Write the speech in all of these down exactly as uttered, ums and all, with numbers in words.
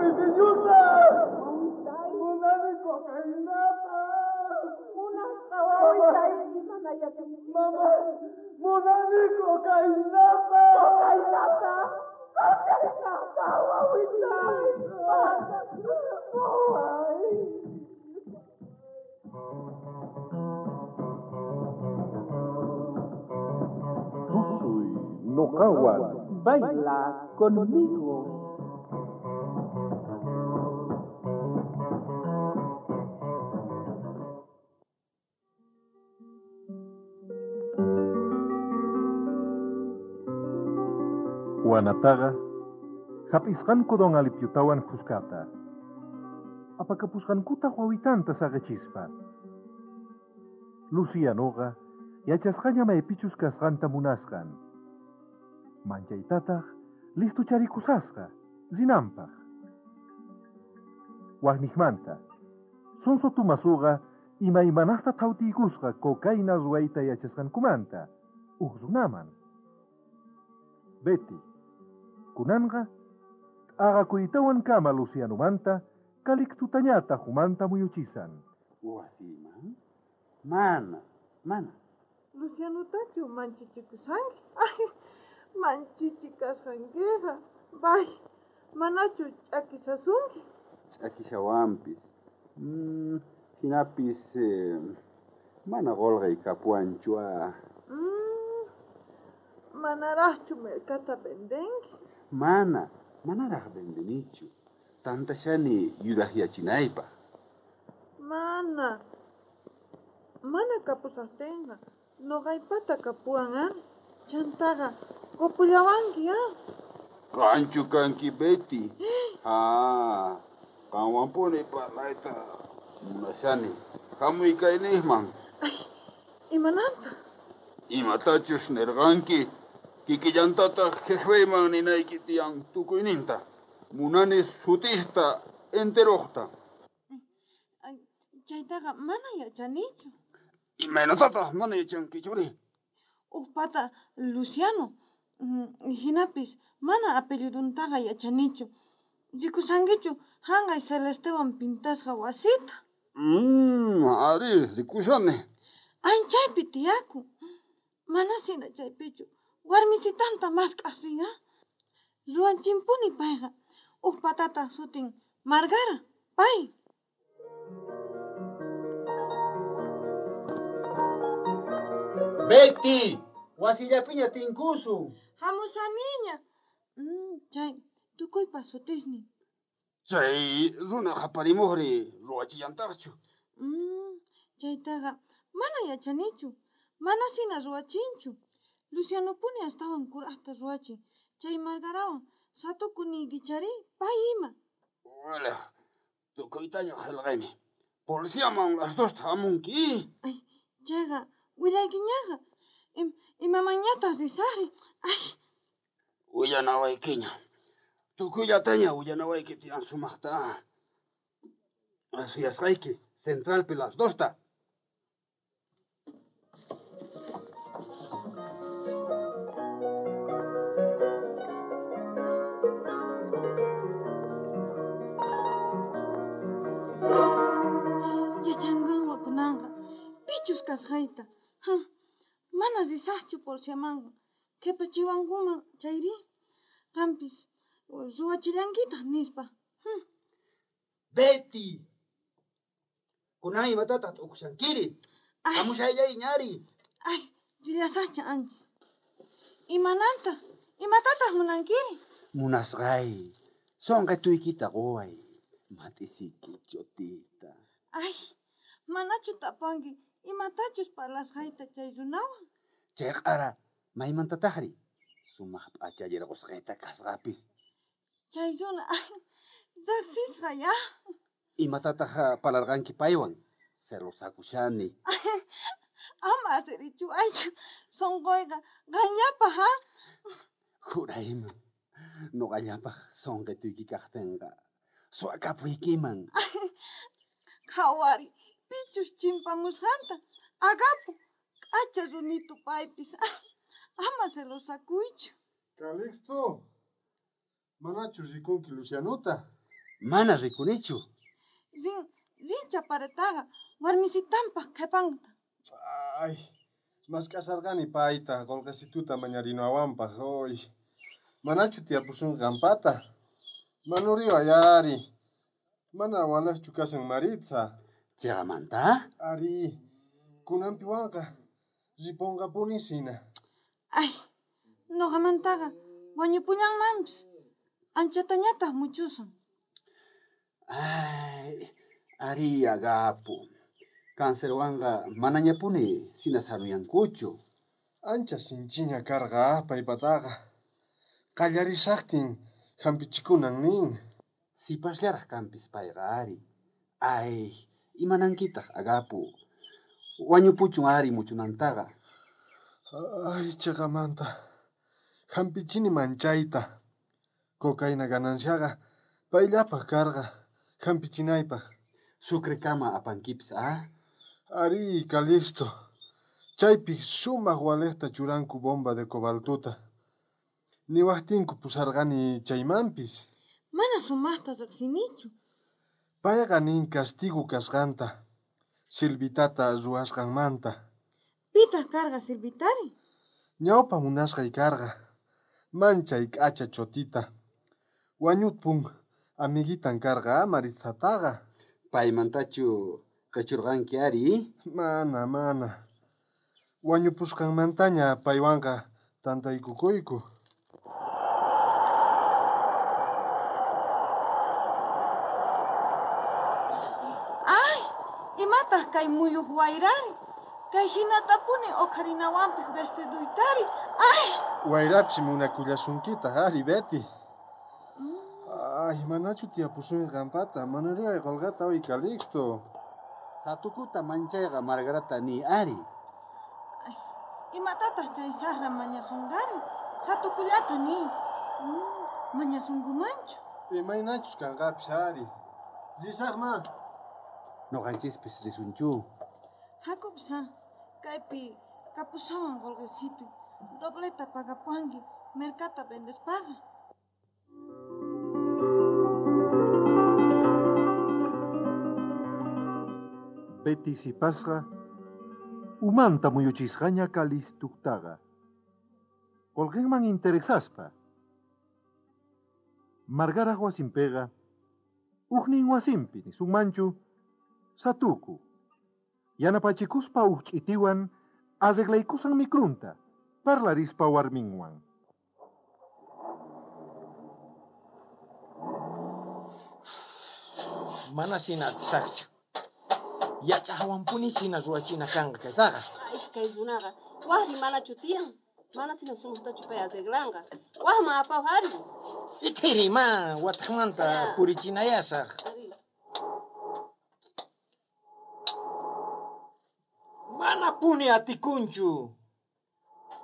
pitiñuta! Munani cocainata! Munasqa wawitay, mana yachankichu. Mama, munani cocainata! Cocainata! Cocainata, wawitay! Waway! Tusuy noqawan. Baila conmigo. Juanataqa hap'isqanku don Alipiotawan khuskata. Apakapusqankuta wawitanta saqichispa. Lucianoqa yachasqaña maypichus kasqanta munasqan. Manchaytataq listucharikusasqa rinanpaq. Waqniqmanta, Sonso Tumasuqa imaymanasta thawtiykusqa cocaína ruwayta yachasqankumanta uj runaman. Betty, kunanqa t'aqakuytawan kama Lucianomanta Calixtutañata humanta muyuchisan. Wasiman? Mana, mana. Lucianotachu manchichikusanki? Ay, manchichikasqankiqa. Bay, manachu ch'akisasunki? Ch'akishawanpis. Mm, hinapis eh, mana qolqay kapuwanchu ah. Mm, manaraqchu mercata vendenki? Mana, manaraq vendenichu. Tantashani yuraqyachinaypaq. Mana. Mana kapusaqtinqa noqaypata kapuwan ah. Chantaqa qupullawanki ah. Qanchu kanki Betty. Ha, qanwanpuni parlayta munashani. Hamuy kayniqman. Ay, imananta? Imatachus nirqanki, kikillantataq jefeyman ninayki tiyan tukuyninta. Munani sutista enteroqta. Ay, chaytaqa mana yachanichu. Imaynatataq mana yachankichuri? Uqpata Luciano. Hinapis mana apelliduntaqa yachanichu. Rikusankichu hanqay celestewan pintasqa wasita? Mm, ari, rikushani. Anchaypi tiyakun. Mana sina chaypichu. Warmisitanta mask'aq rin, ah. Ruwanchimpuni payqa. Uq patataq sutin Margara, pay. Betty, wasillapiña tinkusun. Hamushaniña. Mm, chay tukuypa sutisnin. Chay runa qaparimuqri ruwachillantaqchu. Mm, chaytaqa mana yachanichu. Mana sina ruwachinchu. Lucianopuni astawan kuraqta ruwachin. Chay Margarawan satukuniykichari pay ima. Wala, tukuytaña qillqayni. Policiaman las dosta hamunki. Ay, chayqa willaykiñaqa. Im, imamanñataq risaqri. Ay. Willanawaykiña. Tukuyllataña willanawayki tiyan sumaqta. Suyasqayki centralpi las dosta. Yachanqanwa kunanqa pichus kasqayta. Mana risaqchu policiamanqa. Qhipachiwankuman chayri. Qampis ruwachillankitaq nispa. Betty! Kunan imatataq t'ukushankiri? Hamushayllay ñari. Ay, rillasaqcha anchis. Imananta? Imatataq munankiri? Munasqay, sonqituykita quway. Mat'isiki chotita. Ay, manachu tapanki imatachus parlasqayta chay runawan? Chay q'ara maymantataqri? Sumaq p'achallirqusqayta kasqapis. Chay runa, ay, riqsisqa ya. Imatataq parlarqanki paywan? Celosakushani. Ama asirichuwaychu. Sonqoyqa qanllapaq, ha? Jurayman, noqallapaq sonqituyki kaqtinqa suwakapuykiman. Qhawari, pichus chimpamusqanta. Agapo, k'acha runitu paypis. Ama celosakuychu. Calixto, manachu rikunki Lucianota? Mana rikunichu. Rin, rin chaparetaqa warmisitanpaq qhepanta. Ay, mask'asarqani payta qolqesituta mañarinawanpaq hoy. Manachu tiyapusun qampata? Manuriway ari. Mana walaqchu kasan Maritza. Chiqamanta? Ari, kunanpiwanqa ripunqapunisina. Ay, noqamantaqa wañupullanmanpis. Anchatañataq muchusan. Ay, ari Agapo. Cancerwanqa manañapuni sina saruyankuchu. Ancha sinchiña karqa paypataqa. Qallarisaqtin hampichikunan nin. Sipasllaraq kanpis payqa ari. Ay, imanankitaq Agapo. Wañupuchun ari muchunantaqa. Ay, chiqamanta. Hampichini manchayta. Cocaína gananciaqa payllapaq karqa hampichinaypaq. Sucrekama apankipis, ah? Ari, Calixto. Chaypi sumaq waliqta churanku bomba de cobaltuta. Niwaqtinku pusarqani chaymanpis. Mana sumaqta riqsinichu. Payqa nin castigo kasqanta. Silvitata ruwasqanmanta. Pitaq karqa Silvitari? Ñawpa munasqay karqa. Manchay k'acha chotita. Wañupun amiguitan karqa Maritzataqa. Paymantachu qhichurqanki ari? Mana, mana. Wañupusqanmantaña paywanqa tantaykukuyku. Ay, imataq kay muyuq wayrari? Kay hinatapuni uqharinawanpis vestiduytari. Ay! Wayrapis munakullasunkitaq ari, Betty. Ay, manachu tiyapusun qampata, manuriway qolqata uy Calixto. Satukuta manchayqa Margarata ni ari. Ay, imatataq chay saqra mañasunqari? Satukullata ni. Mm, mañasunkumanchu. Imaynachus kanqapis ari. Risaqma. Noqanchispis risunchu. Hakupis ha, kaypi kapushawan qolqesitu. Dobleta pagapuanki mercata vendespaqa. Betty sipasqa umanta muyuchisqaña Calixtuktaqa. Qolqenman interesaspa. Margaraj wasinpiqa ujnin wasinpi nisunmanchu satuku. Yanapachikuspa uj ch'itiwan arreglaykusan mikrunta parlarispa warminwan. Mana sina atisaqchu. Yachaqwanpuni sina ruwachina kanqa kaytaqa. Ay, kay runaqa waqri manachu tiyan. Mana sina sumaqtachu pay arreglanqa. Waqman apaw ari. Itiri ma wataqmanta purichinayasaq. Manapuni atikunchu.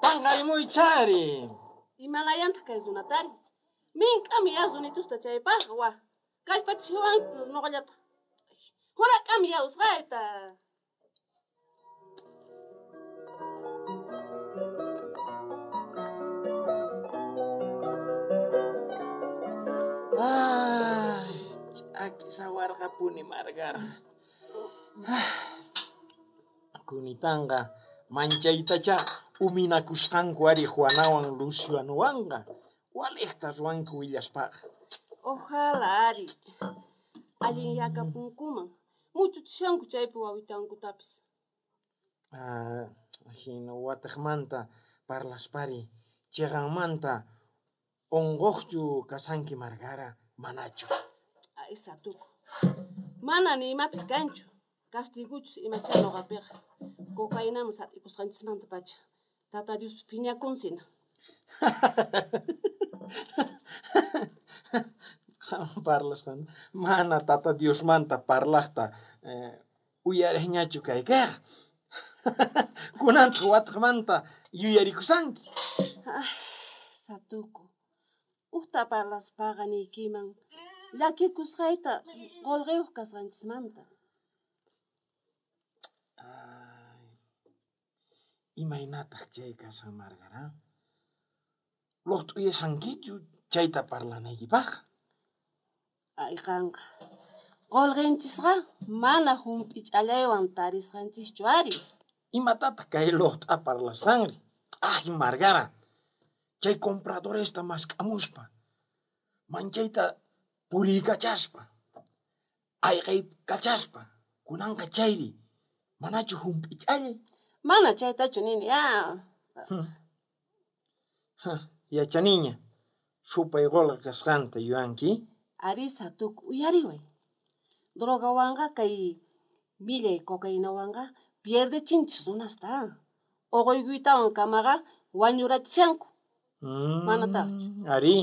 Panqarimuychari. Imalayantaq kay runatari. Mink'ami ya runitusta chaypaqqa waq. Kallpachiswan noqallata. Hurak'ami ya usqayta. Ay, ch'aki sawarqapuni Margara. Kunitanqa manchaytacha uminakusqanku ari Juanawan Lucianowanqa. Waliqta ruwanku willaspaqa. Ojalá ari. Allin yakapunkuman. Muchuchishanku chaypi wawitankutapis. Ah, hina wataqmanta parlaspari chiqanmanta unquqchu kasanki Margara manachu. Ay, satuku. Mana ni imapis kanchu. Castiguchus imacha noqapiqa. Cocainaman sat'ikusqanchismanta pacha. Tata Dios phiñakunsina. Qam parlasqan mana tata Diosmanta parlaqta eh, uyariqñachu kaykiqa. Kunantaq wataqmanta yuyarikusanki. Ay, satuku. Ujta parlaspaqa niykiman llakikusqayta qolqeyuq kasqanchismanta. Ay, imaynataq chay kasan Margara? Luqt'uyasankichu chayta parlanaykipaq? Ay, qanqa. Qolqenchisqa mana hump'ich'allaywan tarisqanchischu ari. Imatataq kay luqt'a parlasqanri? Ay, Margara, chay compradoresta mask'amuspa, manchayta puriykachaspa, ayqaykachaspa, kunanqa chayri, manachu hump'ich'allay? Mana chaytachu nini, ah. Yachaniña, supay qolqe kasqanta yuyanki? Ari, Satuku, uyariway. Drogawanqa kay millay cocainawanqa pierdechinchis runasta. Uquykuytawan kamaqa wañurachishanku. Mm, Manataqchu. Ari,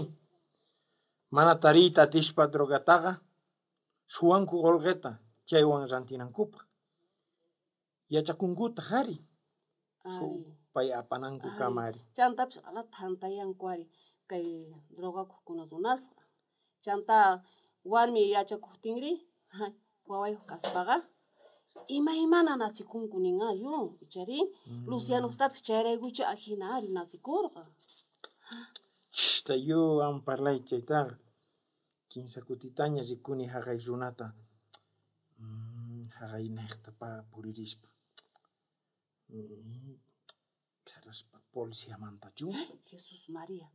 mana tariyta atispa drogataqa suwanku qolqeta chaywan rantinankupaq. Yachakunkutaq ari. Supay apananku kama ari. Chantapis q'ala thantayanku ari kay drogakuqkuna runasqa. Chanta warmi yachakuqtinri wawayuq kaspaqa imaymana nasikunku nin ayu, ichari Mm. Lucianuqtapis chayraykucha ajina ari nasikurqa. Chishta yu am parlay chaytaqa. Kinsa kutitaña rikuni haqay runata. Mm, haqaynejta pa puririspa. Mm, Karaspa policiamantachu. Jesús María,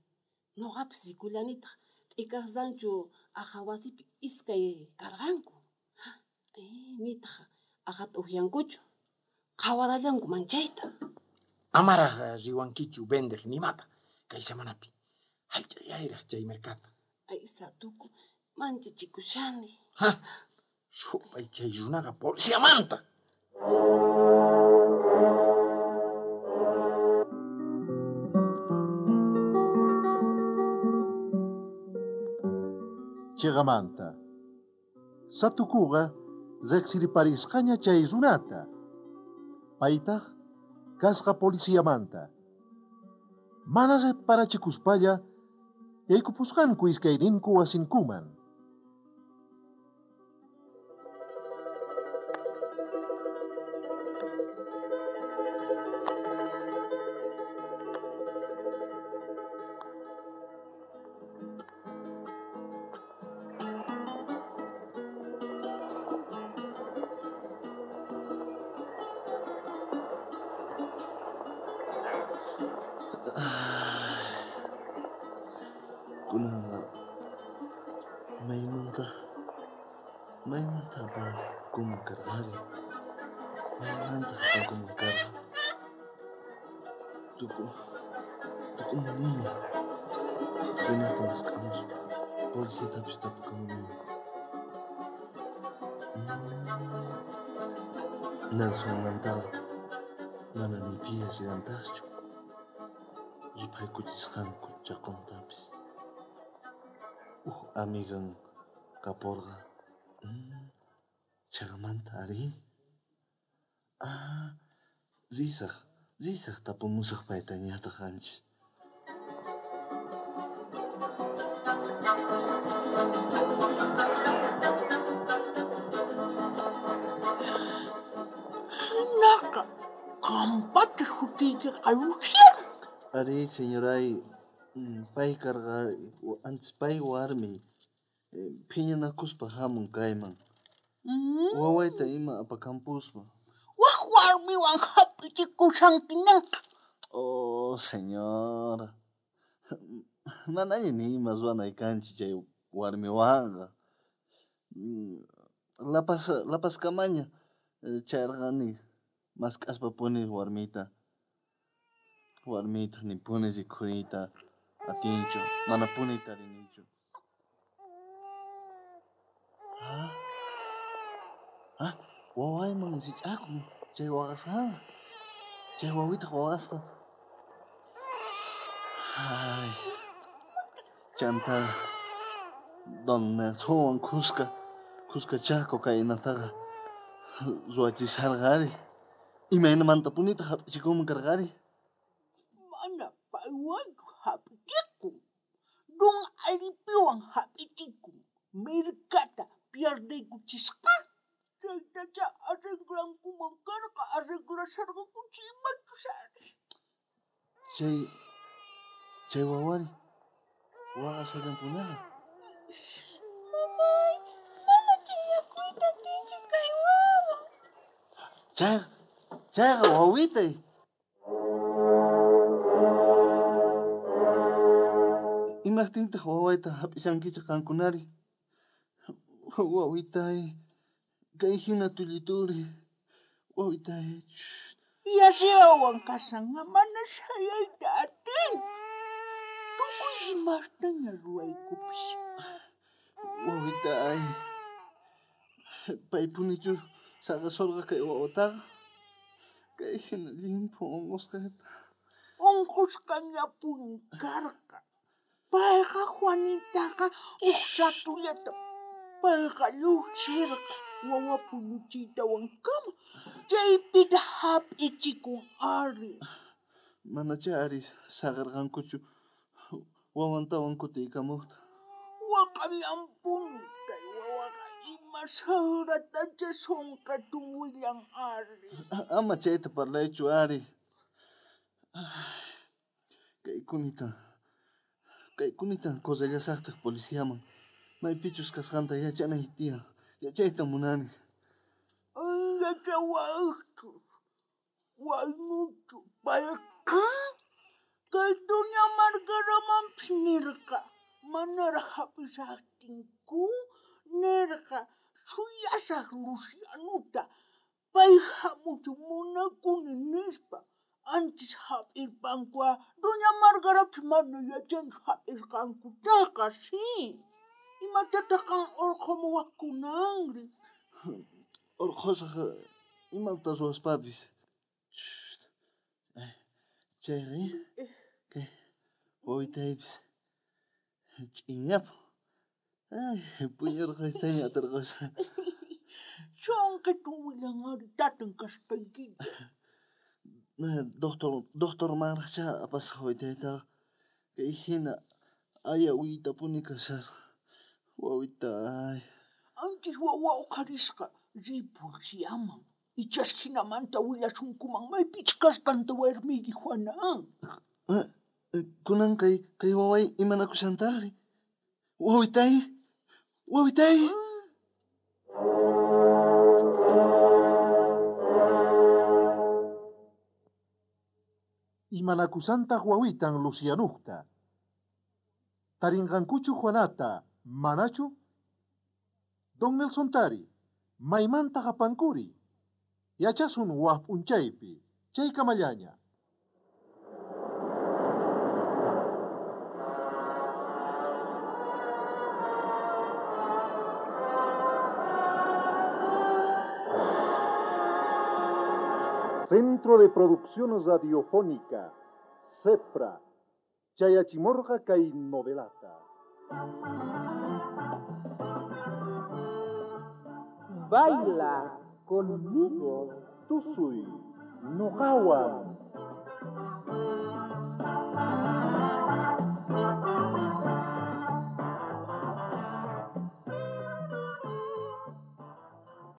noqapis rikullanitaq t'ikaq rancho aja wasipi iskay karqanku. Eh, nitaq aqhata uqyankuchu, qhawarallanku manchayta. Amaraq riwankichu vendeq nimata kay semanapi. Hallch'allayraq chay mercata. Ay, Satuku, manchachikushani. Ha, supay chay runaqa policiamanta. Chiqamanta. Satukuqa riqsiriparisqaña chay runata. Paytaq kasqa policiamanta. Mana reparachikuspalla yaykupusqanku iskayninku wasinkuman. Kunanqa maymanta maymanta apankuman karqari, maymanta apankuman karqa. Tuku tukumuniña runata mask'amuspa policiatapis tapukamuniña. Nelsonmantaqa mana ni pi yachallantaqchu ruphaykuchisqanku chaqontapis. Uj amigan kaporqa. Mm, Chaqamanta ari. Ah, risaq, risaq tapumusaq paytañataq anchis. Hinaqa qampata sutiykiqa Luciano. Ari, señoray, pay karqa antes pay warmi phiñanakuspa hamun kayman. Mm. Wawayta ima apakampuspa. Waj warmiwan hap'ichikushankinaqa. Oh, señora. Manaña ni ima ruwanay kanchu chay warmiwanqa. Lapas lapaskamaña chayrqani mask'aspapuni warmita. Warmita nipuni rikhuriyta atinchu, manapuni tarinichu. Ah, ah, wawayman rich'akun chay waqasqanqa. Chay wawitaq waqasqa. Ay, chanta don Nelsonwan khuska khuskachá cocainataqa ruwachisharqari. Imaynamantapunitaq hap'ichikunman karqari? Mana paywanchu hap'ichikun. Don Alipiwan hap'ichikun. Mirkata pierdeykuchisqa. Chaytacha arreglankuman karqa, arreglasharqakuchu imachus ari. Chay chay wawari waqashallanpunaqa. Mamay, Chayqa, chayqa wawitay. Imajtintaq wawayta hap'ishankichik qankunari? Wawitay, kay hina tullituri. Wawitay. Yasiawan kashanqa mana sayayta atin. Tukuy imastaña ruwaykupis. Wawitay, paypunichu saqasurqa kay wawataqa? Kay hina llimphu unqusqata. Unqusqañapuni karqa. Payqa Juanitaqa uj ratullata payqa lluqsirqa wawa puñuchiytawankama chaypita hap'ichikun ari. Manachá ari saqirqankuchu wawantawan kutiykamuqta. Waqallanpuni kay wawaqa ima saqratacha sunqatun willan ari. Ama chayta parlaychu ari. Kay kunita, kay kunita correllasaqtaq policiaman. Maypichus kasqanta yachanay tiyan. Yachayta munani. Yachawaqchus, waynuchu payqa kay doña Margaramanpis nirqa manaraq hap'ishaqtinku nirqa suyasaq Lucianuta pay hamuchun munakuni nispa. Antes hap'irpankua doña Margarapis mana yachanchu hap'isqankutaqa sí. Imatataq qan urqhumuwaqkunanri? Urqhusaq imata ruwaspapis. Chayqa kay wawitaypis ch'inyapun. Ay, puñurqaytaña atirqusqa. Sunqitun willan ari tatan kasqaykita. Doctor, doctormanraqchá apasaq wawitaytaqa. Kay hina aya uytapuni kashasqa. Wawitay. Anchis wawa uqharisqa riy policiaman. Ichas hinamanta willasunkuman maypich kasqanta warmiyki Juana. Kunan kay kay waway imanakushantaqri? Wawitay, wawitay. Imanakusantaq wawitan Lucianuqta. Tarinqankuchu Juanata, manachu? Don Nelson Tari, maymantaq apankuri? Yachasun waj p'unchaypi, chaykamallaña. Centro de Producción Radiofónica, CEPRA, Chayachimorga kay novelata. Baila conmigo. Tusuy, noqawan.